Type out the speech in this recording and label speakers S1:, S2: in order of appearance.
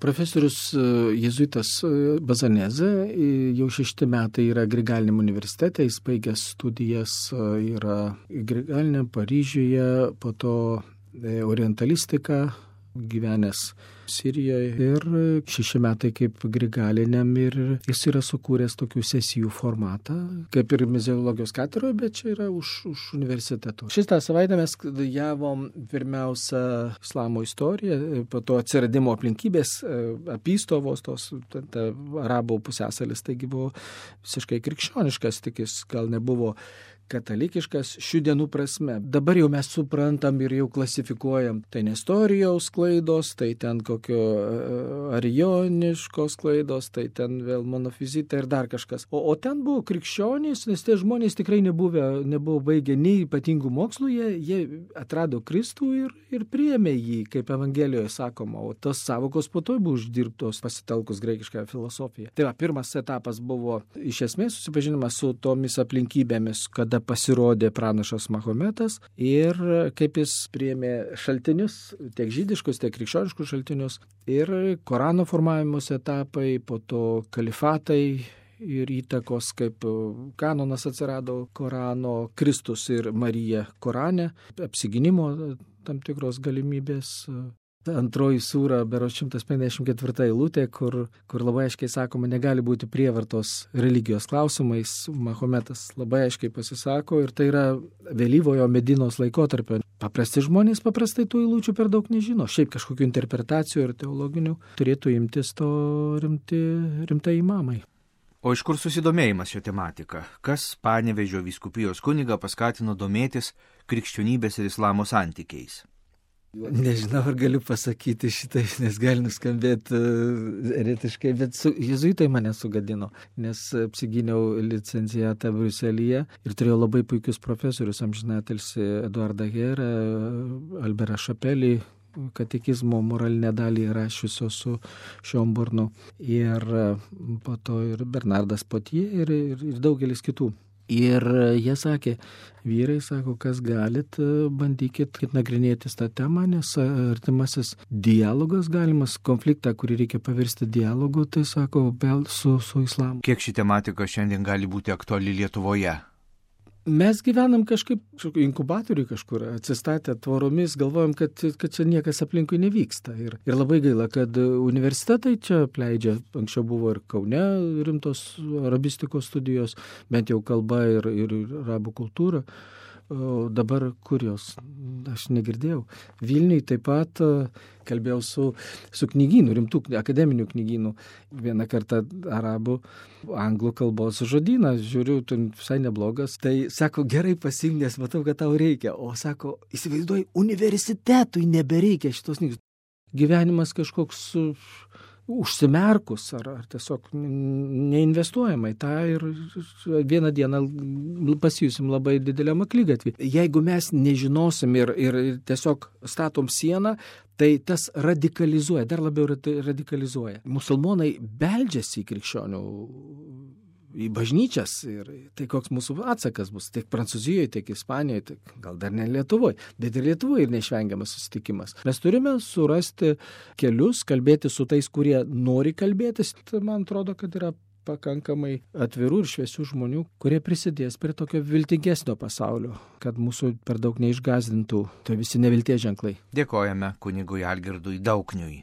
S1: Profesorius jėzuitas Bazanezė jau 6 metai yra Grigaliniam universitete, jis baigęs studijas yra Grigaliniam Paryžiuje, po to orientalistiką, gyvenęs Sirijoje ir 6 metai kaip Grigaliniam ir jis yra sukūręs tokių sesijų formatą, kaip ir muzikologijos katedroje, bet čia yra už universiteto. Šitą savaitę mes studijavom pirmiausia islamo istoriją, po to atsiradimo aplinkybės, apystovos, tos arabų pusiasalis, taigi buvo visiškai krikščioniškas, tik jis gal nebuvo katalikiškas šių dienų prasme. Dabar jau mes suprantam ir jau klasifikuojam. Tai Nestorijaus klaidos, tai ten kokio arioniškos klaidos, tai ten vėl monofizita ir dar kažkas. O ten buvo krikščionys, nes tie žmonės tikrai nebuvo baigę nei ypatingų mokslų, jie atrado Kristų ir priėmė jį, kaip Evangelijoje sakoma, o tos savokos po to buvo uždirbtos pasitelkus graikišką filosofiją. Tai pirmas etapas buvo iš esmės susipažinimas su tomis aplinkybėmis, kada pasirodė pranašas Mahometas ir kaip jis priėmė šaltinius, tiek žydiškus, tiek krikščioniškus šaltinius ir Korano formavimus etapai, po to kalifatai ir įtakos, kaip kanonas atsirado Korano, Kristus ir Marija Korane, apsigynimo tam tikros galimybės. Antroji sūra, berods 154 eilutė, kur labai aiškiai sakoma, negali būti prievartos religijos klausimais. Mahometas labai aiškiai pasisako ir tai yra vėlyvojo Medinos laikotarpio. Paprasti žmonės paprastai tų eilučių per daug nežino. Šiaip kažkokių interpretacijų ir teologinių turėtų imtis to rimtai imamai.
S2: O iš kur susidomėjimas šią tematiką? Kas Panevėžio vyskupijos kunigą paskatino domėtis krikščionybės ir islamo santykiais?
S1: Nežinau, ar galiu pasakyti šitai, nes gali nuskambėti eretiškai, bet jėzuitai mane sugadino, nes apsigyniau licencijatą Briuselyje ir turėjau labai puikius profesorius, amžinatilsį Eduardą Herą, Alberą Šapelį, katekizmo moralinę dalį rašiusio su Šiomburnu ir po to ir Bernardas Potie ir daugelis kitų. Ir jie sakė, vyrai sako, kas galit, bandykit nagrinėtis tą temą, nes artimasis dialogas galimas, konfliktą, kurį reikia pavirsti dialogu, tai sako, su islamu.
S2: Kiek ši tematika šiandien gali būti aktuali Lietuvoje?
S1: Mes gyvenam kažkaip inkubatoriui kažkur, atsistatę tvoromis, galvojam, kad čia niekas aplinkui nevyksta. Ir labai gaila, kad universitetai čia pleidžia, anksčiau buvo ir Kaune rimtos arabistikos studijos, bent jau kalba ir arabų kultūra. O dabar kur jos? Aš negirdėjau. Vilniui taip pat kalbėjau su knygynu, rimtų akademinių knygynų. Vieną kartą arabų, anglų kalbos žodyną, žiūriu, tu visai neblogas. Tai sako, gerai pasiimk, nes matau, kad tau reikia. O sako, įsivaizduoji, universitetui nebereikia šitos knygos. Gyvenimas kažkoks užsimerkus ar tiesiog neinvestuojama į tą ir vieną dieną pasijusim labai dideliam akligatvį. Jeigu mes nežinosim ir tiesiog statom sieną, tai tas radikalizuoja, dar labiau radikalizuoja. Musulmonai beldžiasi į krikščionių, į bažnyčias ir tai koks mūsų atsakas bus tiek Prancūzijoje, tiek Ispanijoje, tiek gal dar ne Lietuvoje, bet ir Lietuvoje ir neišvengiamas susitikimas. Mes turime surasti kelius, kalbėti su tais, kurie nori kalbėtis. Tai man atrodo, kad yra pakankamai atvirų ir šviesių žmonių, kurie prisidės prie tokio viltingesnio pasaulio, kad mūsų per daug neišgąsdintų tai visi nevilties ženklai.
S2: Dėkojame kunigui Algirdui Daukniui.